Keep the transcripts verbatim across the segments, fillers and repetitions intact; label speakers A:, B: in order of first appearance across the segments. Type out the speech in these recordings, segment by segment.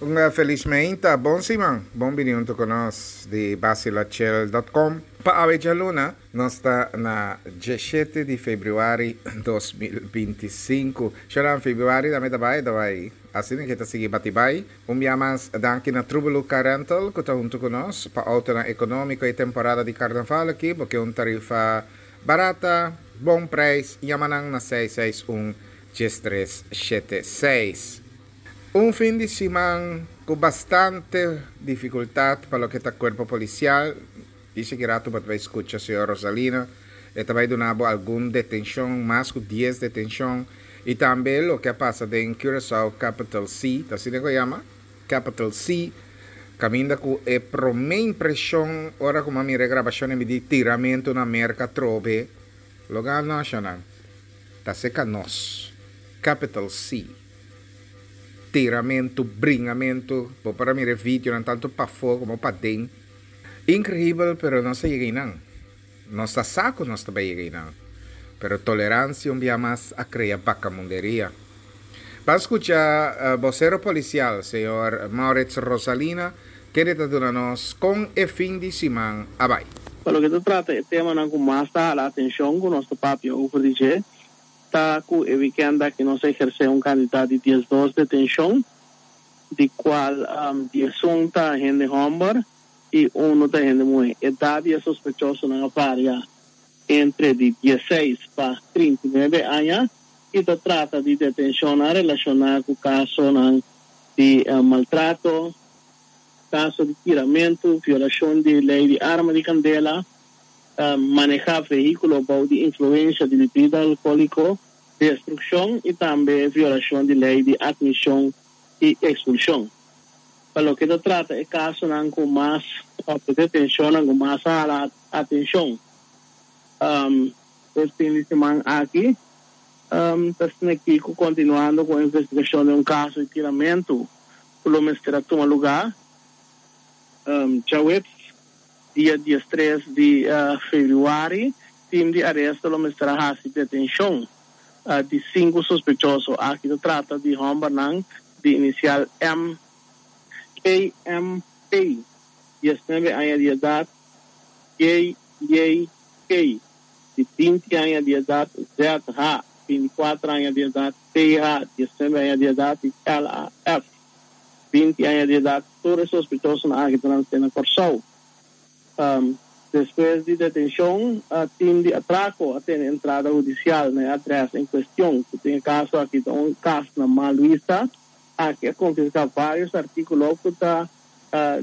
A: Un felis mainta, bon siman, bon bini huntu ku nos di Basilachel punto com. Pa awe djaluna, nos ta na diesshete di febrüari dos mil binti sinku. Shoran, febrüari tambe ta bai, ta bai. Asina ke ta sigui bati bai. Un bia mas danki na Trubelu Car Rental ku ta huntu ku nos pa outonan ekonómiko e temporada di karnaval aki, bo ke un tarifa barata, bon preis, yama nan na seis seis un dies tres shete seis. Un fin di siman ku bastante difikultat pa loke ta kuerpo polisial. Dice ki rato bo ta bai skucha señor Rosalina, e ta bai duna bo algun detenshon, mas ku dies detenshon, i tambe loke a pasa den Curaçao Capital C, ta asina ku e yama? Capital C, kaminda ku e promé impreshon ora ku mi a mira e grabashon e mi di tiramentu na Merka atrobe, loke a noshanan ta seka nos, Capital C. Tiramentu, bringamentu, bo por a mira e videonan tantu pafó komo paden. Inkreibel, pero nos a yega einan. Nos ta sa ku nos ta bai yega einan. Pero toleransia un bia mas a krea bakamunderia. Ban skucha bosero polisial, señor Maurits Rosalina, kende ta duna nos kon e fin di siman a bai.
B: Pa loke ta trata e temanan ku mas ta hala atenshon ku nos ta papia over di dje, ta ku e wikènt aki nos a ehersé un kantidat di diesdos detenshon, di kual diesun ta hende hòmber i unu ta hende muhé. Edat di e sospechosonan a varia entre di diesseis pa trinta i nuebe aña i ta trata di detenshonnan relashoná ku kasonan di maltrato, kaso di tiramentu, violashon di lei di arma di kandela, manehá vehíkulo bou di influensha di bibida alkohóliko, destrukshon i tambe violashon di lei di atmishon i ekspulshon. Pa loke ta trata e kasonan ku mas òf e detenshonnan ku mas a hala atenshon e fin di siman aki, ta asina ki ku kontinuando ku investigashon di un kaso di tiramentu ku lo mester a tuma lugá djaweps dia diestres di febrüari, tim di aresto lo mester a hasi detenshon di sinku sospechoso. Aki ta trata di hòmbernan di inisial M K M P, diesnuebe aña di edat, J J K, di binti aña di edat, Z H, binti kuater aña di edat, P H, diesnuebe aña di edat, i L A F, binti aña di edat. Tur e sospechosonan aki ta nasé na Kòrsou. Despues di detenshon, tim di atrako a tene entrada hudisial na e adrès en kuestion, ku den e kaso aki ta un kas na Maluisa. Aki a konfiská vários artíkulo ku ta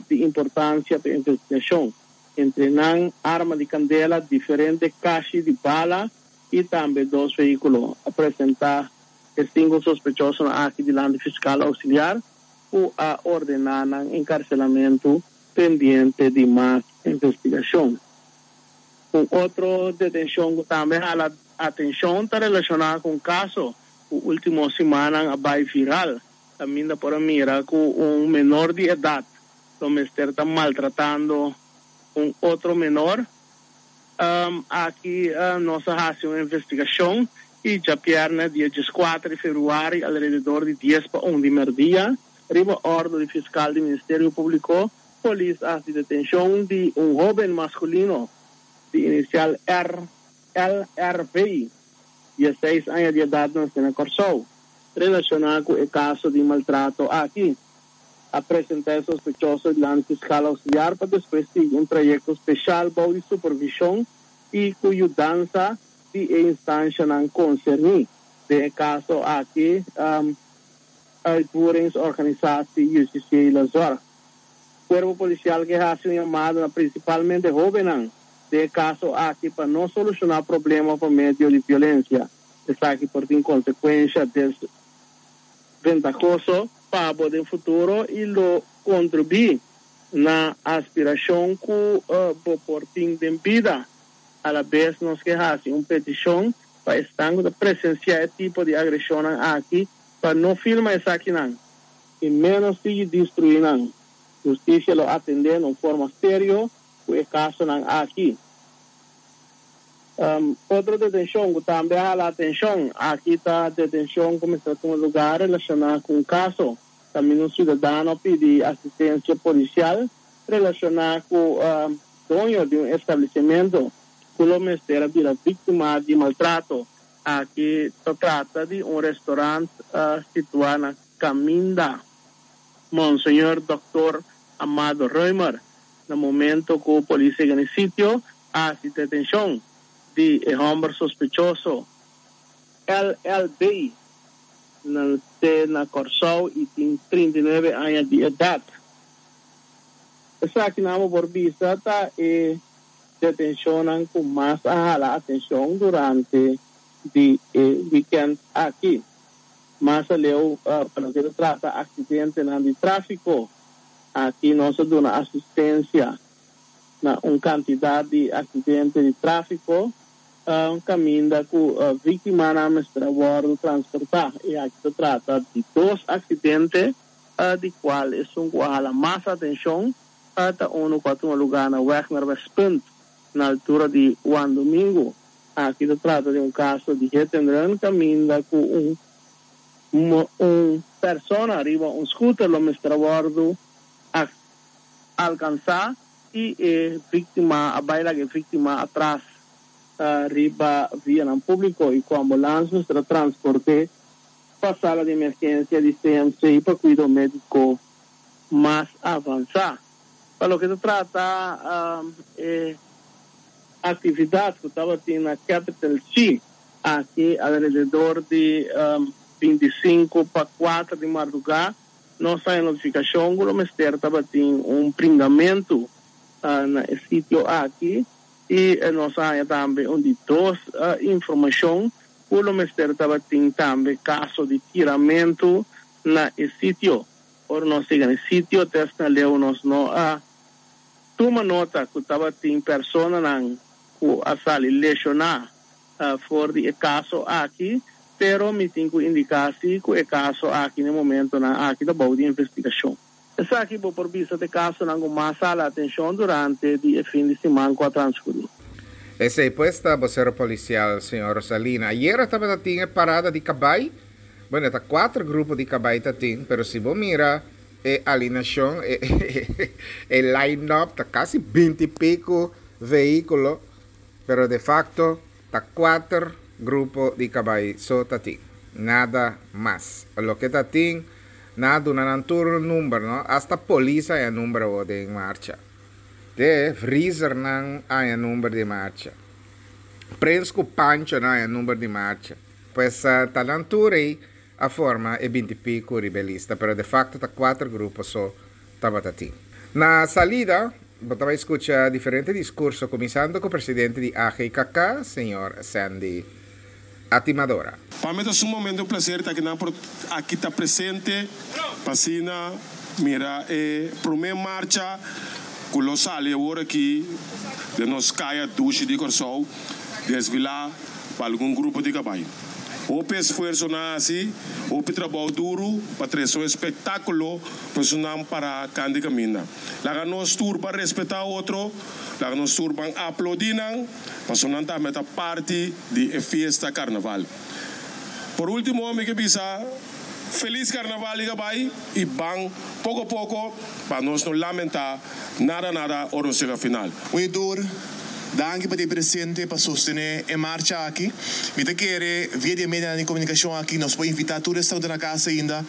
B: di importansia pa e investigashon, entre nan arma di kandela, diferente kashi di bala i tambe dos vehíkulo. A presentá e sinku sospechosonan aki dilanti fiskal ousiliar, ku a ordená nan enkarselamentu pendiente di mas investigashon. Un otro detenshon ku tambe hala atenshon ta relashoná ku un kaso ku último simannan a bai viral, kaminda por a mira ku un menor di edat lo mester ta maltratando un otro menor. Aki nos a hasi un investigashon i djapièrnè dia dieskuater di febrüari alrededor di dies pa un di mèrdia, riba òrdu di fiskal di Ministerio Públiko, polis a hasi detenshon di un hóben maskulino di inisial R L R V, diesseis aña di edat, nasé na Kòrsou, relashoná ku e kaso di maltrato aki. A presentá e sospechoso dilanti fiskal ousiliar pa despues sigui un trayekto speshal bou di supervishon i ku yudansa di e instanshanan konserní. Den e kaso aki, Uitvoeringsorganisatie Justitiële Zorg. Kuerpo Polisial ke hasi un yamada na prinsipalmente hóbennan den e kaso aki pa no solushoná problema pa medio di violensia. Esaki por tin konsekuensha desventahoso pa bo den futuro i lo kontribuí na aspirashon ku bo por tin den bida. Alabes nos ke hasi un petishon pa esnan ku ta presensiá e tipo di agreshonnan aki pa no filma esakinan i ménos sigui destruí nan. Hustisia lo atendé na un forma serio ku e kasonan aki. Otro detenshon ku tambe a hala atenshon aki ta detenshon ku mester tuma lugá relashoná ku un kaso Tambe un siudadano a pidi asistensia polisial relashoná ku uh, doño di un establesimentu ku lo mester a bira víktima di maltrato. Aki ta trata di un restorant uh, situá na Kaminda Monseñor Dòkter Amado Römer. Na momento ku polis a yega na e sitio, a hasi detenshon di e hòmber sospechoso L L B, nasé na Kòrsou i tin trinta i nuebe aña di edat. Esakinan por bisa ta e detenshon ku mas a hala atenshon durante di e weekend aki. Mas aleu, uh, pa loke ta trata aksidente di tráfiko, aki nos a duna asistensia na un kantidat di aksidente di tráfiko, uh, kaminda ku uh, víktimanan mester a wòrdu transportá. I aki ta trata di dos aksidente, uh, di kual esun ku a hala mas atenshon, uh, ta unu ku a tuma lugá na Weg naar Westpunt, na altura di Juan Domingo. Aki ta trata di un kaso di hit and run, kaminda ku un un persona riba un scooter lo mester a wòrdu alkansá i e víktima a bai laga e víktima atras uh, riba via públiko i ku ambulans mester a transport'é pa sala di emergensia di C M C pa kuido médiko mas avansá. Pa loke ta trata um, eh, aktividat ku tabatin na Capital C, aki alrededor di um, bintisinko pa kuater di mardugá, nos a haña notifikashon ku mester tabatin un bringamentu uh, na sitio aki i uh, nos a haña tambe un di dos uh, informashon ku mester tabatin tambe kaso di tiramentu na sitio. Ora nos a yega na sitio, te leu nos no a tuma nota ku tabatin personanan ku a sali leshoná uh, for di e kaso aki, pero mi tin ku indiká si ku e kaso aki na momentonan aki ta bou di investigashon. Esaki bo por bisa ta e kasonan ku mas a hala atenshon durante di e fin di siman ku a transkurí.
A: Esei pues ta bosero polisial, señor Rosalina. Ayera tabatin parada di kabai. Bueno, ta kuater grupo di kabai tatin, pero si bo mira e alineashon, e, e line-up, ta kasi binti i piku vehíkulo, pero de facto ta kuater grupo di kabai so tatin. Nada mas. Loke tatin, nan a duna nan tur number, no? Hasta polis a haña number di marcha. De freezernan a haña number di marcha. Prens ku Pancho nan a haña number di marcha. Pues uh, ta nan tur ei a forma e binti i piku riba e lista, pero de facto ta kuater grupo so tabatin. Na salida, bo ta bai skucha diferente diskurso, kuminsando ku e presidente di A G K K, señor Sandy Atimadora.
C: Pa mi ta sumamente un plaser ta aki, aki ta presente, pa asina mira e promé marcha ku lo sali awor aki di nos kaya dushi di Kòrsou, desfilá pa algun grupo di kabai. Hopi esfuerso nan a hasi, hopi trabou duru pa trese un espektákulo pa pa kant'i kaminda. Laga nos tur pa respetá otro, laga nos tur pa aplaudí nan, pa nan tambe ta parti di fiesta karnaval. Por último, mi ke bisa felis karnaval i bai i ban poko poko pa nos no lamentá nada nada ora yega final.
D: Oidor, danki pa ta presente pa sostené e marcha aki. Mi ta kere, via di medio di komunikashon aki, nos por invitá tur esnan na kas ainda,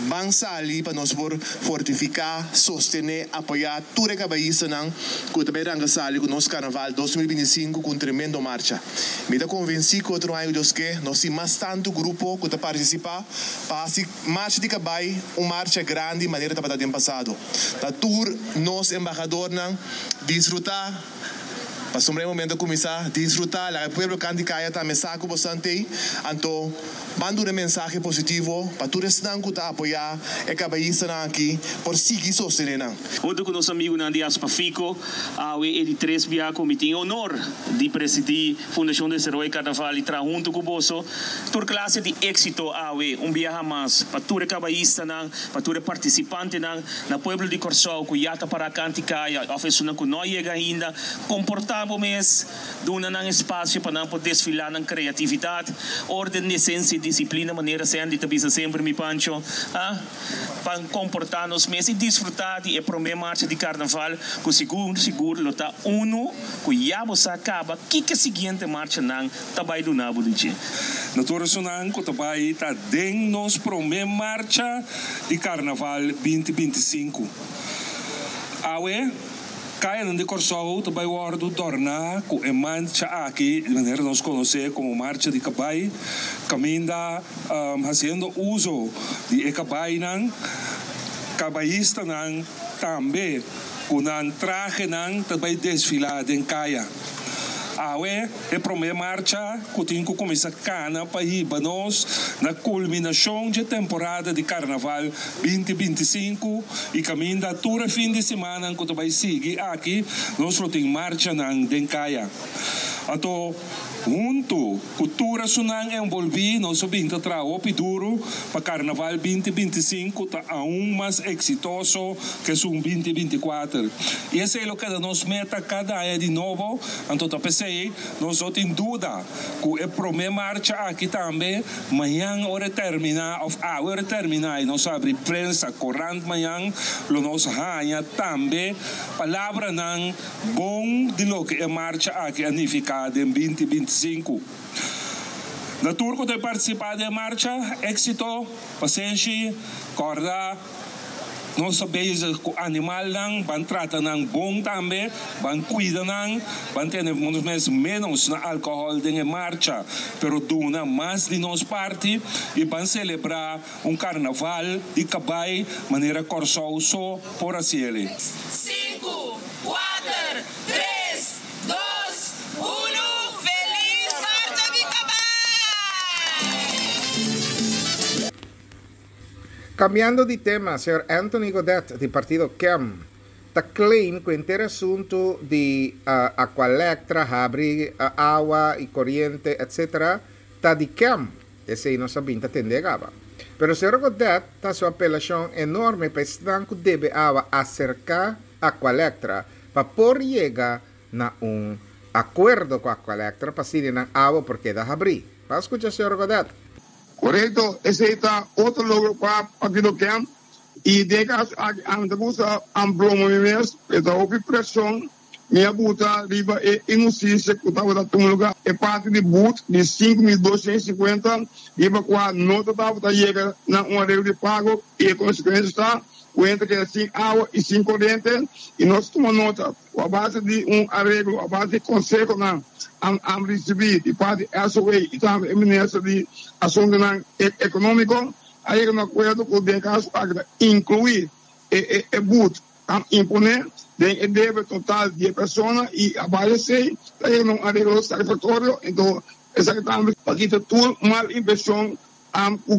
D: ban sali pa nos por fortifiká, sostené, apoyá tur e kabayistanan ku tambe ta sali ku nos karnaval dos mil bintisinku ku un tremendo marcha. Mi ta konvensí ku otro aña, Dios ke, nos tin mas tantu grupo ku ta partisipá pa marcha di kabai, un marcha grandi manera tabata den pasado. Ta tur nos embahadornan disfrutá. Pasobra e momento kuminsá disfrutá, e pueblo kant'i kaya tambe sa ku boso t'ei, anto manda un mensahe positivo pa tur esnan ku ta apoyá e kabayistanan aki por sigui sostené nan.
E: Huntu ku nos amigunan di Aspafico, awe e di tres bia ku mi tin honor di presidí Fundashon Desaroyo Karnaval i traha huntu ku boso. Tur klase di éksito awe, un biaha mas, pa tur kabayistanan, pa tur partisipantenan, na pueblo di Kòrsou, ku ya ta pará kant'i kaya, òf esnan ku no a yega ainda, komportá. Komportá bo mes, duna nan espasio pa nan por desfilá nan kreatividat, órden, desensia i disiplina, manera Sandy ta bisa semper, mi Pancho, ah? Pa komportá nos mes i disfrutá di e promé marcha di karnaval, ku sigur sigur lo ta unu ku ya bo sa kaba kiko e siguiente marchanan ta bai duna bo di dje.
F: Na tur esnan ku ta bai ta den nos promé marcha di karnaval binti binti sinku. Awe, kayanan di Kòrsou ta bai wòrdu dòrná ku e marcha aki, di manera nos konosé komo Marcha di Kabai, kaminda hasiendo uso di e kabainan, kabayistanan tambe ku nan trahenan ta bai desfilá den kaya. Awe e promé marcha ku tin ku kuminsá kana pa hiba nos na kulminashon dje temporada di Karnaval binti binti i sinku i kaminda tur e fin di simannan ku ta bai sigui aki nos lo tin marchanan den kaya. Anto huntu ku tur esunnan enbolbí nos a bin ta traha hopi duru pa Karnaval binti binti i sinku ta aun mas eksitoso ku esun binti binti i kuater. I esei lo keda nos meta kada aña di nobo, anto ta p'esei nos no tin duda ku e promé marcha aki tambe mañan ora e terminá òf awe ora e terminá i nos habri prensa, korant mañan lo nos haña tambe palabranan bon di loke e marcha aki a nifiká den binti binti i sinku. Na tur ku ta partisipá den e marcha, éksito, pasenshi, kòrda nos ta bezig ku animalnan, ban trata nan bon tambe, ban kuida nan, ban tene nos mes ménos na alkohòl den e marcha, pero duna mas di nos parti i ban selebrá un karnaval di kabai manera Kòrsou so por hasiel.
G: Sinku, kuater, tres, dos, unu, Felis Marcha di Kabai!
A: Kambiando di tema, señor Anthony Godett di partido K E M ta claim ku henter asuntu di Aqualectra, habri awa i koriente etcetera ta di K E M. Esei nos a bin ta tende kaba. Pero señor Godett ta hasi un apelashon enorme pa esnan ku debe awa aserká Aqualectra pa por yega na un akuerdo ku Aqualectra pa asina nan awa por keda habrí. Ban skucha señor Godett.
H: Korekto, esei ta otro logro pa Partido K E M. I den e kaso aki ami ta gusta amploma mi mes, e ta hopi preshon mi a buta riba e inhustisia ku tabata tuma lugá. E parti di but di sinku mil doshen i sinkuenta riba kua no ta tabata yega na un areglo di pago i e konsekuensia ta ku hende ta keda sin awa i sin koriente. I nos tuma nota ku a base di un areglo, a base di konsehonan am risibí di parti S O A i tambe e minister di Asuntunan Ekonómiko, a yega na akuerdo ku den kaso aki ta inkluí e e but a imponé den e debe total di e persona i a base esei ta yega na un areglo satisfaktorio. Enton esaki tambe pa kita tur mal impreshon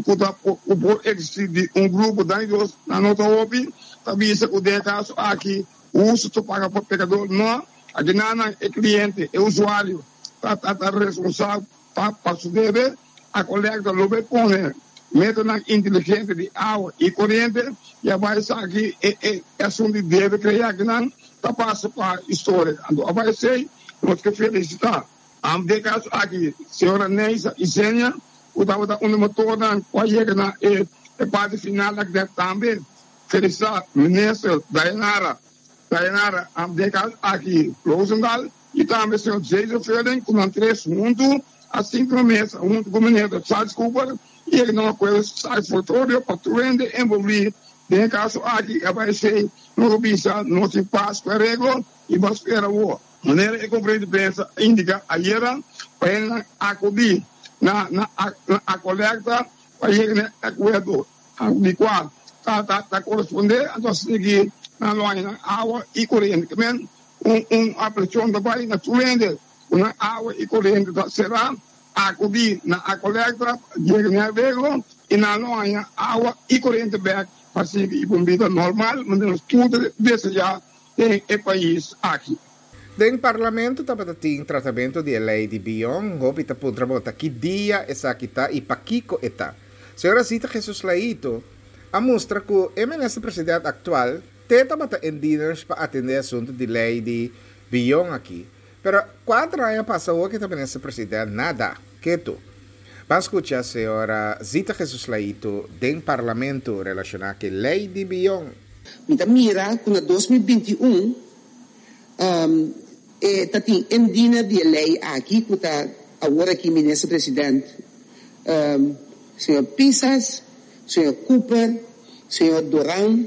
H: ku ta ku por eksistí di un grupo. Danki Dios nan no ta hopi ta bisa ku den e kaso aki hustu ta paga pa pekador. No, aki nan e kliente, e usuario ta ta responsabel pa pa su debe. Aqualectra lo bai pone metonan inteligente di awa i koriente i a bai esaki e e asuntu di debe krea akinan ta pasa pa historia. Anto a bai esei nos ke felisitá den kaso aki señora Neisa Isenia ku tabata un di motornan ku a yega na e e parti final aki. Tambe felisitá minister Dayanara Dayanara den kaso aki Rozendal i tambe señor Jason Fielding, ku nan tres huntu a sinta na mesa huntu ku minister Charles Cooper i yega na un akuerdo satisfaktorio pa tur hende envolví den e kaso aki. A bai esei nos a bisa nos tin pas ku areglo i bo a spera awor manera e konferensia di prensa a indiká ayera pa hendenan akudí na na na Aqualectra pa yega na e akuerdo di kua ta ta ta korespondé. Anto a sigui nan lo haña nan awa i koriente. Ke men un un apelashon ta bai na tur hende ku nan awa i koriente ta será, akudí na Aqualectra, yega na e areglo i nan lo haña awa i koriente bèk pa sigui un bida normal manera nos tur ta deseá den e pais aki.
A: Den parlamento tabata tin tratamentu di e lei di bion. Hopi ta puntra bo ta ki dia esaki ta i pakiko e ta. Señora Zita Jesus Leito a mustra ku e minister presidente aktual te tabata in diners pa atendé asuntu di lei di bion aki. Pero kuater aña pasa awor ku ta minister presidente, nada, ketu. Ban skucha señora Zita Jesus Leito den parlamento relashoná ku lei di bion.
I: Mi ta mira ku na dos mil binti un e ta tin indiener di e lei aki ku ta awor aki minister president, señor Pisas, señor Cooper, señor Doran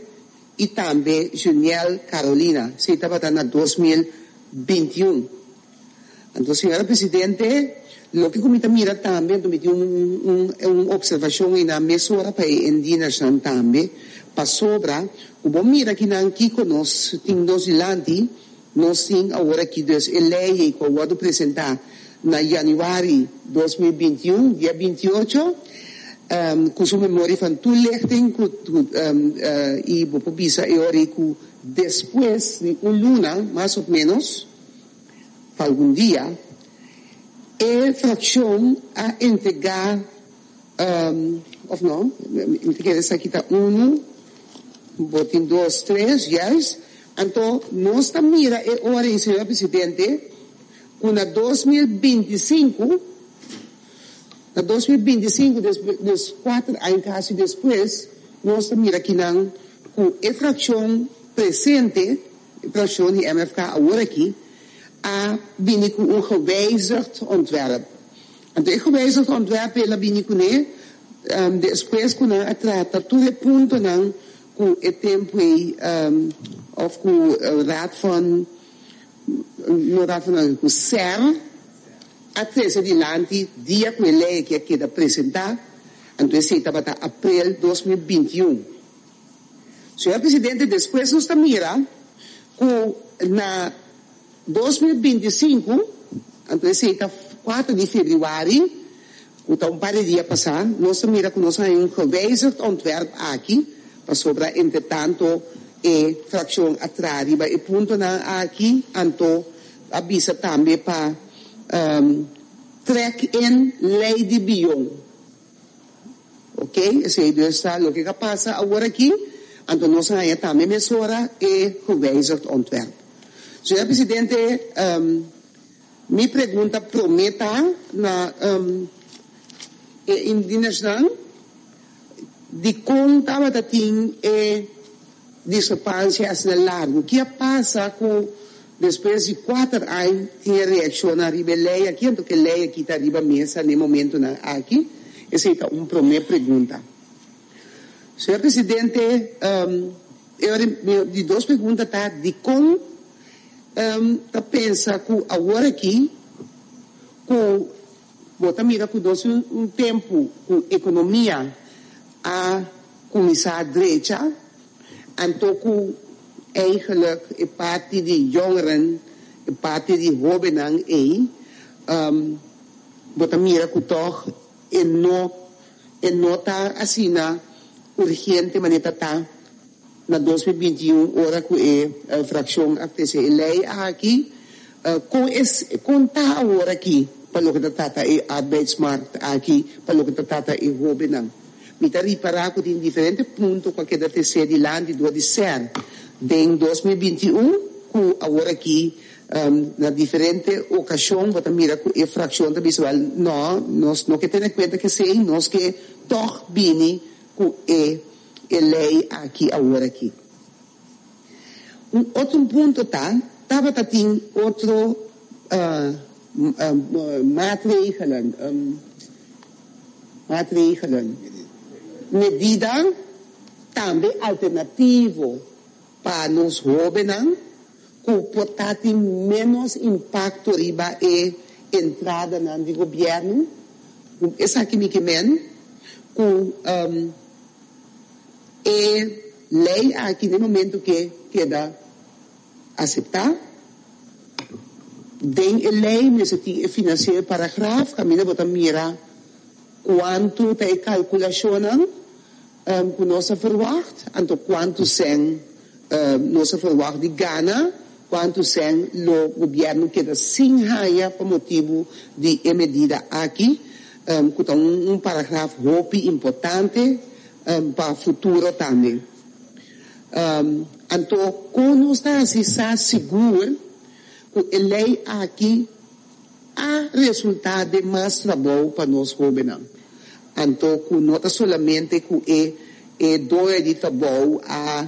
I: i tambe Juniel Carolina. Esei tabata na dos mil binti un. Anto señora presidente, loke ku mi ta mira tambe, anto mi tin un un observashon einan mesora pa e indienersnan tambe, pasobra ku bo mira kinan kiko nos tin nos dilanti. Nos tin awor aki dus e lei ei ku a wòrdu presentá na yanüari dos mil binti un, dia binti ocho, ku su memoria van toelichting ku i bo por bisa e ora ei ku despues di un luna mas of ménos, pa algun dia, e frakshon a entregá, of no, mi ta kere esaki ta unu, bo tin dos, tres, juist. Anto nos ta mira e ora ei, señor presidente, ku na dos mil binti sinku, na dos mil binti sinku, dus kuater aña kasi despues, nos ta mira kinan ku e frakshon presente, e frakshon di M F K awor aki, a bini ku un gewijzigd ontwerp. Anto e gewijzigd ontwerp el a bini kuné despues ku nan a trata tur e puntonan ku e tempu ei, òf ku Raad van, no Raad van, ku S E R a trese dilanti dia ku e lei aki a keda presentá, anto esei tabata aprel dos mil binti un. Señor Presidente, despues nos ta mira ku na dos mil binti sinku, anto esei ta kuater di febrüari, ku ta un par di dia pasá, nos ta mira ku nos a haña un gewijzigd ontwerp aki, pasobra entretanto e frakshon a traha riba e puntonan aki, anto a bisa tambe pa trek in lei di bion. Oké, esei dus ta loke ka pasa awor aki, anto nos a haña tambe mesora e gewijzigd ontwerp. Señor Presidente, mi pregunta promé ta na e indienersnan, dikon tabata tin e diskrepansia asina largu? Ki a pasa ku despues di kuater aña tin e reakshon ariba e lei aki, anto ku e lei aki ta riba mesa na e momentonan aki? Esei ta un promé pregunta. Señor Presidente, di dos pregunta ta dikon ta pensa ku awor aki ku bo ta mira ku nos un tempu ku ekonomia a kuminsá drecha, anto ku eigenlijk e parti di jongeren, e parti di hóbennan ei, bo ta mira ku tòg e no e no ta asina urgente manera ta ta na dos mil binti un ora ku e frakshon a trese e lei aki. Kon es kon ta awor aki pa loke ta trata e arbeidsmarkt aki, pa loke ta trata e hóbennan? Mi ta ripará ku tin diferente punto ku a keda tresé dilanti dor di S E R den dos mil binti un, ku awor aki na diferente okashon bo ta mira ku e frakshon ta bisa, wèl, nò, nos no ke tene kuenta ku esei, nos ke tòg bini ku e e lei aki awor aki. Un otro punto ta, tabata tin otro maatregelen, maatregelen, medida tambe alternativo pa nos hóbennan ku por ta tin ménos impakto riba e entradanan di gobièrnu. Esaki mi ke men ku e lei aki den momento ke keda aseptá, den e lei mester tin e finansiero paragraf kaminda bo ta mira kuantu ta e kalkulashonnan ku nos a verwagt, anto kuantu sèn nos a verwagt di gana, kuantu sèn lo gobièrnu keda sin haña pa motibu di e medida aki, ku ta un paragraf hopi importante pa futuro tambe. Anto kon nos ta hasi sa sigur Ku e lei aki a resultá den mas trabou pa nos hóbennan. Anto ku no ta solamente ku e e doño di trabou a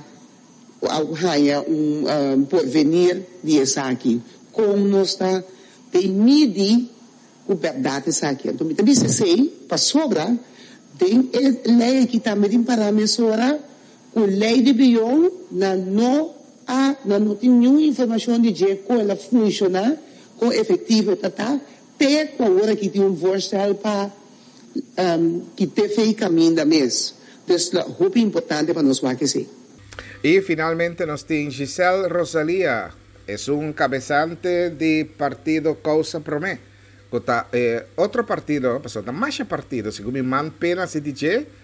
I: a haña un um, porvenir di esaki. Kon nos ta den midi ku bèrdat esaki. Anto mi ta bisa esei pasobra den e lei aki tambe tin pará mesora ku lei di bion nan no a nan no tin niun informashon di dje kon el a funshoná, kon efektivo e ta ta, te ku awor aki tin un voorstel pa um, kit'é fei kaminda mes. Dus ta hopi importante pa nos wak esei.
A: I finalmente nos tin Giselle Rosalia, esun kabesante di partido Kousa Promé, ku ta eh, otro partido, pasobra ta masha partido, segun mi man pena hasi di dje,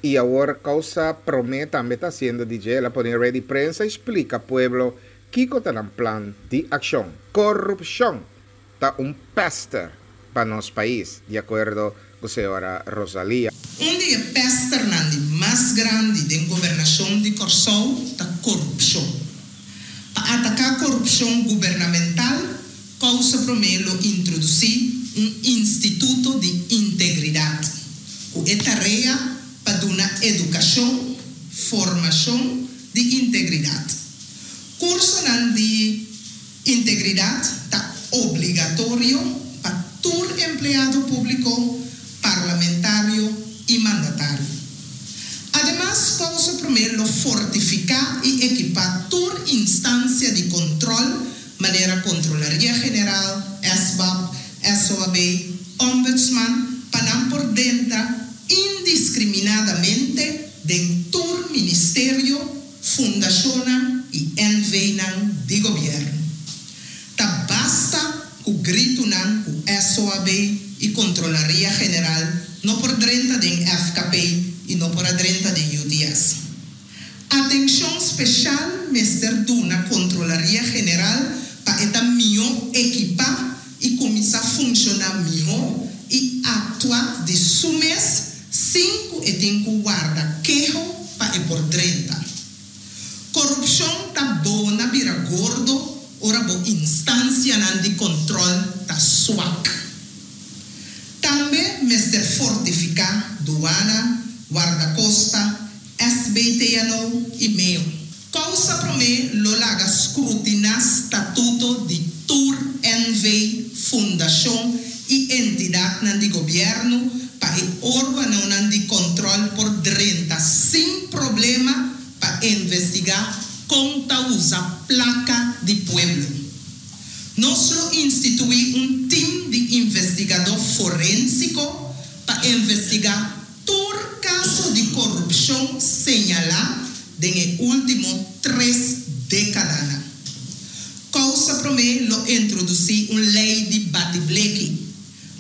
A: i awor Kousa Promé tambe ta hasiendo di dje. El a pone rueda di prensa i splika pueblo kiko ta nan plan di akshon. Korupshon ta un pèster pa nos pais, di akuerdo ku señora Rosalia.
J: Un di e pèsternan di mas grandi den gobernashon di Kòrsou ta korupshon. Pa ataká korupshon gubernamental, Kousa Promé lo introdusí un Instituto di Integridat ku e tarea pa duna edukashon, formashon di integridat. Kursonan di integridat ta obligatorio pa tur empleado públiko, parlamentario i mandatario. Ademas, Kousa Promé lo fortifiká i ekipá tur instansia di kontròl, manera Kontrolaria General, S B A P, S O A B, Ombudsman, pa nan por drenta indiskriminadamente den tur ministerio, fundashonnan i N V-nan di gobièrnu. Ta basta ku gritunan ku S O A B i Kontrolaria General no por drenta den F K P i no por drenta den U T S. Atenshon spesial mester duna Kontrolaria General pa e ta mihó ekipá i kuminsá funshoná mihó i aktua di su mes sin ku e tin ku warda keho pa e por drenta. Korupshon ta bona bira gordo ora bo instansianan di kontròl ta swak. Tambe mester fortifiká duana, wardakosta, S B T N O i MEO. Kousa Promé lo laga skrutiná statuto di tur N V, fundashon i entidatnan di gobièrnu pa e órganonan di kontròl por drenta sin problema pa investigá kon ta usa plaka di pueblo. Nos lo instituí un tim di investigadó forensiko pa investigá tur kaso di korupshon señalá den e último tres dékadanan. Kousa Promé lo introdusí un lei di bati bleki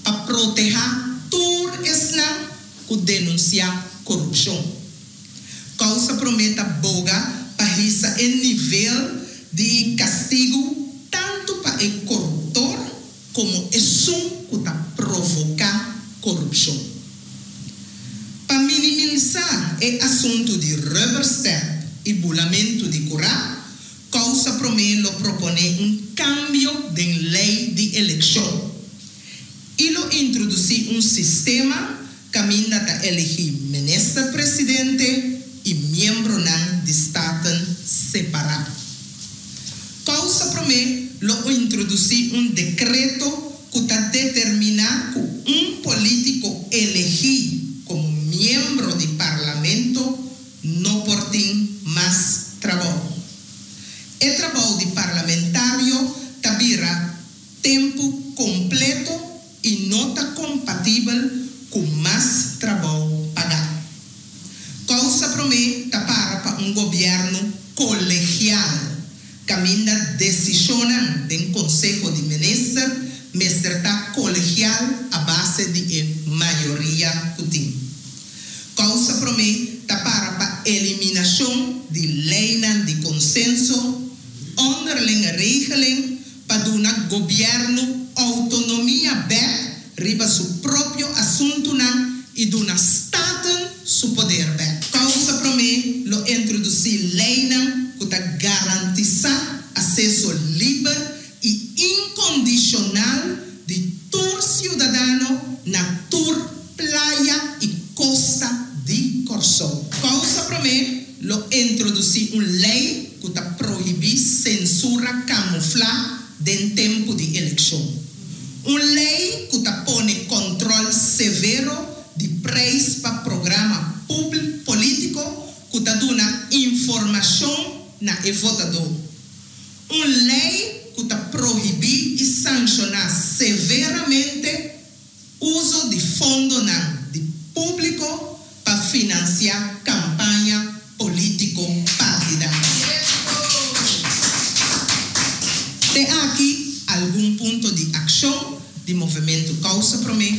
J: pa protehá tur esnan ku denunsiá korupshon. Kousa Promé ta boga pa hisa e nivel di kastigu tantu pa e koruptor komo esun ku ta provoká korupshon. Pa minimalisá e asuntu di rubber stamp i bulamentu di kurá, Kousa Promé lo proponé un kambio den lei di elekshon i lo introdusí un sistema kaminda ta eligí minister presidente i miembronan di Staten separá. Kousa Promé lo introdusí un dekreto ku ta determiná ku un polítiko eligí komo miembro di parlamento no por tin mas trabou. E trabou di parlamentario ta bira tempu kompleto i no ta kompatibel ku mas trabou pagá. Kousa Promé ta para pa un gobièrnu kolegial, kaminda desishonnan den konseho di minister mester ta kolegial a base di e mayoria ku tin. Kousa Promé ta para pa eliminashon di leinan di konsenso, onderlinge regeling, pa duna gobièrnu outonomia bèk riba su propio asuntunan i duna Staten su poder bèk. Kousa Promé lo introdusí leinan ku ta garantisá akseso liber i Promé lo introdusí un lei ku ta prohibí sensura kamuflá den tempu di elekshon. Un lei ku ta pone kontròl severo di preis pa programa polítiko ku ta duna informashon na e votadó. Un lei ku ta prohibí i sanshoná severamente uso di fondonan di públiko pa finansiá kampaña polítiko partidario. Te aki algun punto di akshon di Movementu Kousa Promé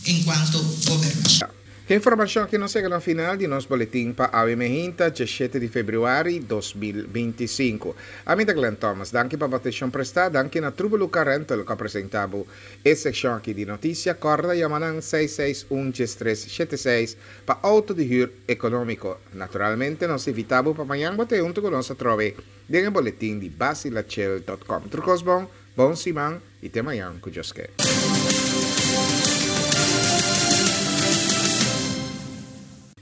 J: enkuanto gobernashon.
A: Ku e informashon aki nos a yega na final di nos boletin pa awe mainta, diesshete di febrüari dos mil binti sinku. Ami ta Glenn Thomas. Danki pa bo atenshon prestá. Danki na Trubelu Car Rental ku a presentá bo e sekshon aki di notisia. Kòrda yama nan seis seis un djes tres shete seis pa outo di hür ekonómiko. Naturalmente nos ta invitá bo pa mañan bo ta huntu ku nos atrobe den e boletin di Basilachel dot com. Tur kos bon, bon siman i te mañan ku Dios ke.